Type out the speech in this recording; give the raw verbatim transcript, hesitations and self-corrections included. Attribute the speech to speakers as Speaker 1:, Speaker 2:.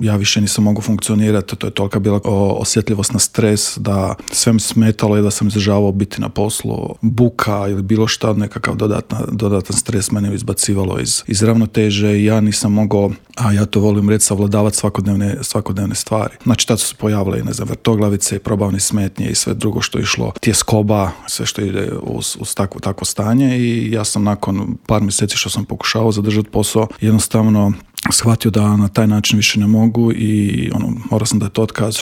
Speaker 1: ja više nisam mogao funkcionirati, to je tolika bila osjetljivost na stres da sve mi smetalo i da sam izdržavao biti na poslu. Buka ili bilo šta, nekakav dodatna, dodatan stres mene izbacivalo iz, iz ravnoteže i ja nisam mogao, a ja to volim reći, savladavati svakodnevne, svakodnevne stvari. Znači tad su se pojavile i ne znam, vrtoglavice i probavne smetnje i sve drugo što je išlo, tjeskoba, sve što ide uz, uz takvo, takvo stanje i ja sam nakon par mjeseci što sam pokušao zadržati posao, jednostavno shvatio da na taj način više ne mogu i ono, morao sam da je to otkaz.